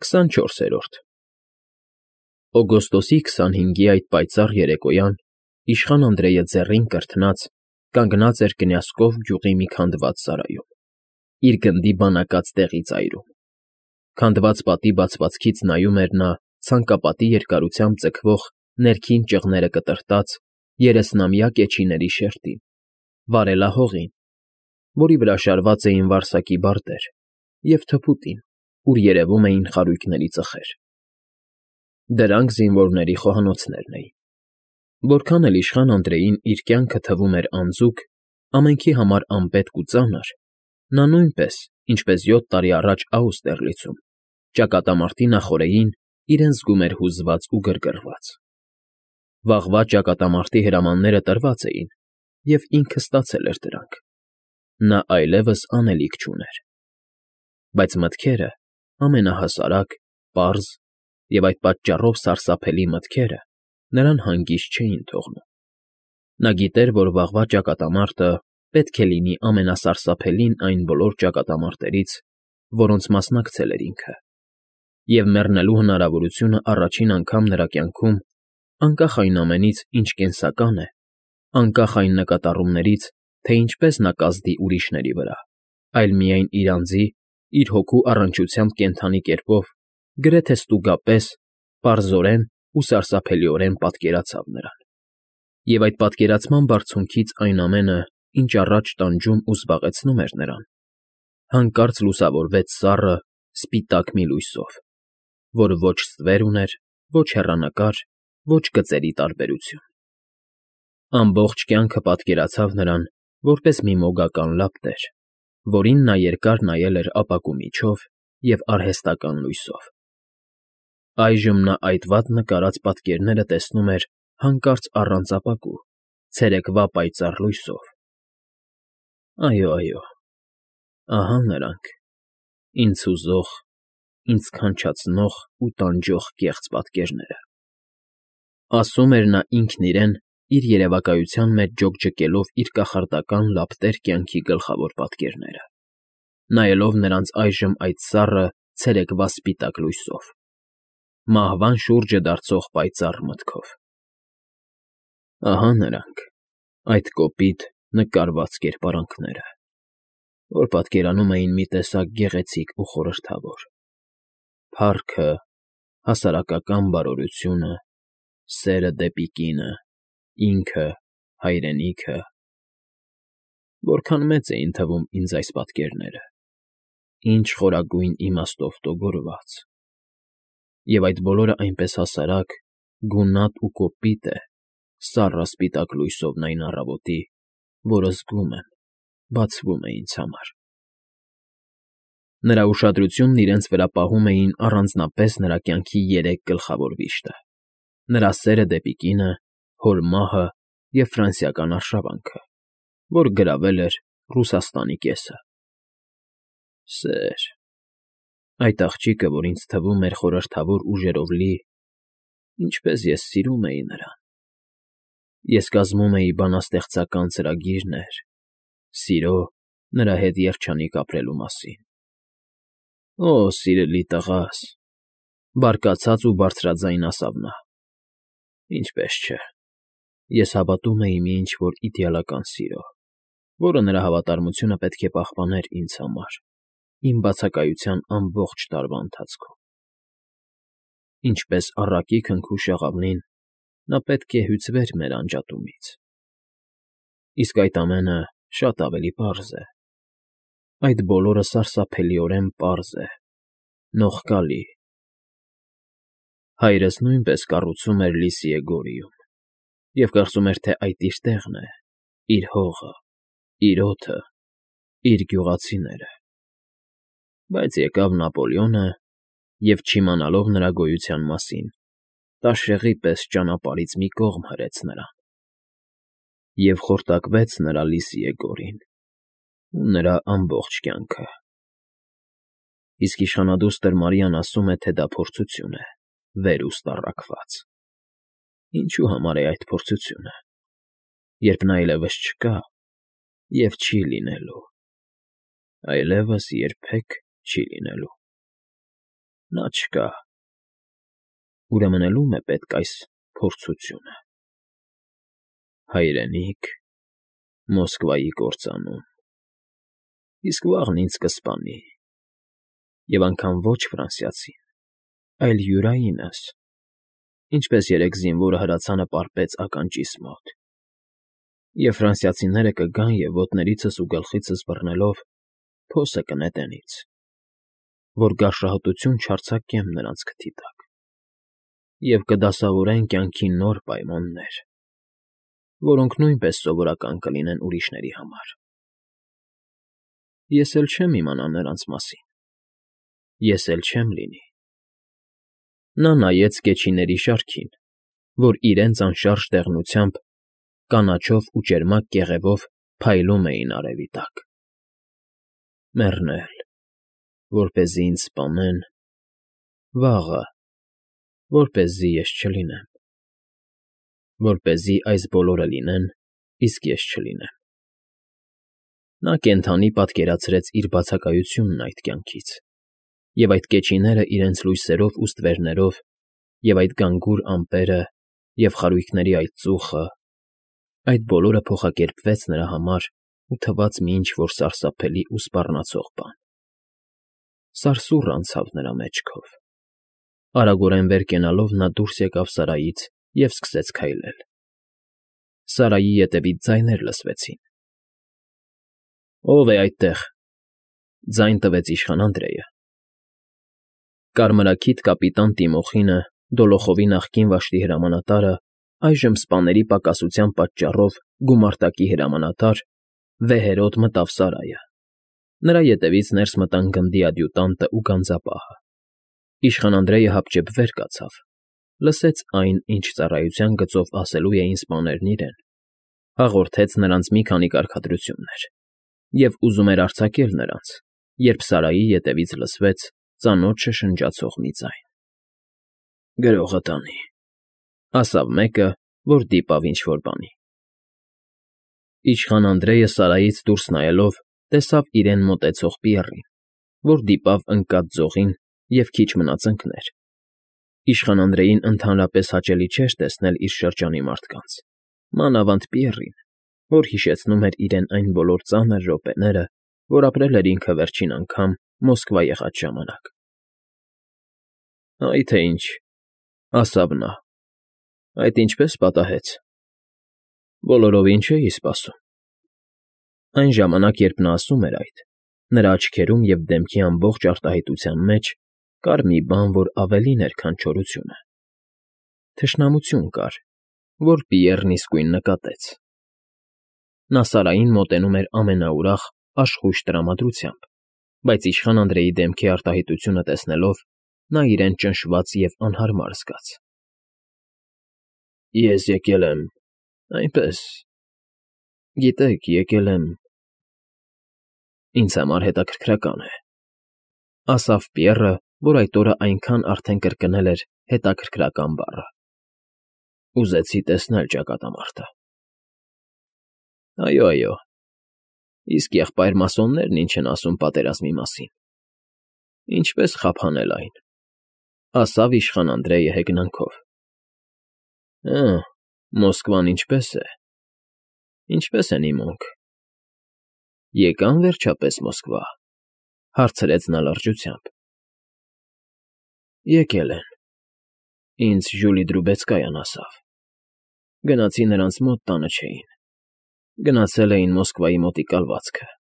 24-րդ Օգոստոսի 25-ի այդ պայծառ երեկոյան իշխան Անդրեյը ձեռին կրթնած կանգնած էր կնյասկով գյուղի մի քանդված սարայում, իր գնդի բանակած տեղի ծայրում. քանդված պատի բացվածքից նայում էր նա ցանկապատի երկարությամբ ձգվող ներքին ճղները կտրտած 30-ամյա կեչիների շերտին, վարելահողին, որի վրա շարված էին վարսակի բարտեր, և թփուտին, ուր երևում էին խարույկների ծխեր. դրանք զինվորների խոհանոցներն էին. որքան էլ իշխան Անդրեյին իր կյանքը թվում էր անձուկ, ամենքի համար անպետք ու ծանր, նա նույնպես, ինչպես 7 տարի առաջ Աուստերլիցում, ճակատամարտի նախօրեին իրեն զգում էր հուզված ու գրգռված. վաղվա ճակատամարտի հրամանները տրված էին, և ինքը ստացել էր դրանք. նա այլևս անելիք չուներ. բայց մտքերը, ամենահասարակ, պարզ և այդ պատճառով սարսափելի մտքերը նրան հանգիստ չէին թողնում. նա գիտեր, որ վաղվա ճակատամարտը պետք է լինի ամենասարսափելին այն բոլոր ճակատամարտերից, որոնց մասնակցել էր ինքը, և մեռնելու հնարավորությունը առաջին անգամ նրա կյանքում, անկախ այն ամենից, ինչ կենսական է, անկախ այն նկատառումներից, թե ինչպես նա կազդի ուրիշների վրա, այլ միայն իր անձի, իր հոգու առնչությամբ կենդանի կերպով, գրեթե ստուգապես, պարզորեն ու սարսափելիորեն պատկերացավ նրան. և այդ պատկերացման բարձունքից այն ամենը, ինչ առաջ տանջում ու զբաղեցնում էր նրան, հանկարծ լուսավորվեց սառը, սպիտակ մի լույսով, որ ոչ ստվեր ուներ, ոչ հեռանկար, ոչ գծերի տարբերություն. ամբողջ կյանքը պատկերացավ նրան որպես մի մոգական լապտեր, որին նա երկար նայել էր ապակու միջով և արհեստական լույսով. այժմ նա այդ վատ նկարած պատկերները տեսնում էր հանկարծ առանց ապակու, ցերեկվա պայծառ լույսով. այո, ահա նրանք, ինձ հուզող, ինձ քանչացնող ու տանջող կեղծ պատկերները, ասում էր նա ինքն իրեն իր երևակայության մեջ ջոկջկելով իր կախարդական լապտեր կյանքի գլխավոր պատկերները, նայելով նրանց այժմ այդ սառը, ցերեկվա սպիտակ լույսով, մահվան շուրջը դարձող պայծառ մտքով. ահա նրանք, այդ կոպիտ, նկարված կերպարանքները, որ պատկերանում էին մի տեսակ գեղեցիկ ու խորհրդավոր, փառքը, հասարակական բարօրությունը, սերը դեպի կինը, ինքը, հայրենիքը… Որքան մեծ էին թվում ինձ այս պատկերները, ինչ խորագույն իմաստով տոգորված… Եվ այդ բոլորը այնպես հասարակ, գունատ ու կոպիտ է սառը սպիտակ լույսովն այն առավոտի, որը զգում եմ, բացվում է ինձ համար… Նրա ուշադրությունն իրենց վրա պահում էին առանձնապես նրա կյանքի 3 գլխավոր վիշտը. նրա սերը դեպի կինը, հոր մահը և ֆրանսիական արշավանքը, որ գրավել էր Ռուսաստանի կեսը… Սեր… Այդ աղջիկը, որ ինձ թվում էր խորհրդավոր ուժերով լի, ինչպես ես սիրում էի նրան… Ես կազմում էի բանաստեղծական ծրագիրներ, սիրո, նրա հետ երջանիկ ապրելու մասին… Օ, սիրելի տղաս,֊ բարկացած ու բարձրաձայն ասավ նա,֊ ինչպես չէ… Ես հավատում էի մի ինչ֊որ իդեալական սիրո, որը նրա հավատարմությունը պետք է պահպաներ ինձ համար, իմ բացակայության ամբողջ տարվա ընթացքում… Ինչպես առակի քնքուշ աղավնին, նա պետք է հյուծվեր մեր անջատումից… Իսկ այդ ամենը շատ ավելի պարզ է… Այդ բոլորը սարսափելիորեն պարզ է, նողկալի… Հայրս նույնպես կառուցում էր Լիսիե Գորիում և կարծում էր, թե այդ իր տեղն է, իր հողը, իր օդը, իր գյուղացիները… Բայց եկավ Նապոլեոնը և, չիմանալով նրա գոյության մասին, տաշեղի պես ճանապարհից մի կողմ հրեց նրան… և խորտակվեց նրա Լիսիե Գորին ու նրա ամբողջ կյանքը… Իսկ իշխանադուստր Մարիան ասում է, թե դա փորձություն է, վերուստ առաքված… Ինչու համար է այդ փորձությունը, երբ նա այլևս չկա և չի լինելու… այլևս երբեք չի լինելու… Նա չկա։ Ուրեմն էլ ո՞ւմ է պետք այս փորձությունը։ Հայրենիք, Մոսկվայի կործանում։ Իսկ վաղն ինձ կսպանի։ Եվ անգամ ոչ ֆրանսիացին, այլ յուրայինս, ինչպես երեկ զինվորը հրացանը պարպեց ականջիս մոտ։ Եվ ֆրանսիացիները կգան և ոտներիցս ու գլխիցս բռնելով փոսը կնետեն ինձ, որ գարշահոտություն չարձակեմ նրանց քթի տակ, և կդասավորեն կյանքի նոր պայմաններ, որոնք նույնպես սովորական կլինեն ուրիշների համար։ Ես էլ չեմ իմանա նրանց մասին, ես էլ չեմ լինի։ Նա նայեց կեչիների շարքին, որ իրենց անշարժ դեղնությամբ, կանաչով ու ճերմակ կեղևով փայլում էին արևի տակ։ Մեռնել, որպեսզի ինձ սպանեն, վաղը, որպեսզի ես չլինեմ, որպեսզի այս բոլորը լինեն, իսկ ես չլինեմ։ Նա կենդանի պատկերացրեց իր բացակայությունն այդ կյանքից, և այդ կեչիները իրենց լույսերով ու ստվերներով, և այդ գանգուր ամպերը, և խարույկների այդ ծուխը, այդ բոլորը փոխակերպվեց նրա համար ու թվաց մի ինչ֊որ սարսափելի ու սպառնացող բան։ Սարսուռ անցավ նրա մեջքով։ Արագորեն վեր կենալով նա դուրս եկավ սարայից և սկսեց քայլել։ Սարայի ետևից ձայներ լսվեցին։ «Ո՞վ է այդտեղ», ձայն տվեց իշխան Անդրեյը։ Կարմրաքիթ կապիտան Տիմոխինը, Դոլոխովի նախկին վաշտի հրամանատարը, այժմ սպաների պակասության պատճառով գումարտակի հրամանատար, վեհերոտ մտավ սարայը։ Նրա ետևից ներս մտան գնդի ադյուտանտը ու գանձապահը։ Իշխան Անդրեյը հապճեպ վեր կացավ, լսեց այն, ինչ ծառայության գծով ասելու էին սպաներն իրեն, հաղորդեց նրանց մի քանի կարգադրություններ և ուզում էր արձակել նրանց, երբ սարայի ետևից լսվեց ծանոթ շշնջացող մի ձայն։ «Գրողը տանի», ասավ մեկը, որ դիպավ ինչ֊որ բանի։ Իշխան Անդրեյը սարայից դուրս նայելով տեսավ իրեն մոտեցող Պիեռին, որ դիպավ ընկած ձողին և քիչ մնաց ընկներ։ Իշխան Անդրեյին ընդհանրապես հաճելի չէր տեսնել իր շրջանի մարդկանց, մանավանդ Պիեռին, որ հիշեցնում էր իրեն այն բոլոր ծանր րոպեները, որ ապրել էր ինքը վերջին անգամ Մոսկվա եղած ժամանակ։ «Այ թե ինչ», ասավ նա, «այդ ինչպե՞ս պատահեց։ Բոլորովին չէի սպասում»։ Այն ժամանակ, երբ նա ասում էր այդ, նրա աչքերում և դեմքի ամբողջ արտահայտության մեջ կար մի բան, որ ավելին էր, քան չորությունը։ Թշնամություն կար, որ Պիեռն իսկույն նկատեց։ Նա սարային մոտենում էր ամենաուրախ, աշխույժ տրամադրությամբ, բայց իշխան Անդրեյի դեմքի արտահայտությունը տեսնելով, նա իրեն ճնշված և անհարմար զգաց։ «Ես եկել եմ, այնպես, գիտեք, եկել եմ… ինձ համար հետաքրքրական է», ասավ Պիեռը, որ այդ օրը այնքան արդեն կրկնել էր «հետաքրքրական» բառը։ «Ուզեցի տեսնել ճակատամարտը»։ «Այո, իսկ եղբայր֊մասոններն ինչ են ասում պատերազմի մասին։ Ինչպե՞ս խափանել այն», ասավ իշխան Անդրեյը հեգնանքով։ «Հը, Մոսկվան ինչպե՞ս է, ինչպե՞ս են իմ ունք։ Եկա՞ն վերջապես Մոսկվա», հարցրեց նա լրջությամբ։ «Եկել են, ինձ Ժուլի Դրուբեցկայան ասավ։ Գնացի նրանց մոտ, տանը չէին, գնացել էին Մոսկվայի մոտիկ կալվածքը։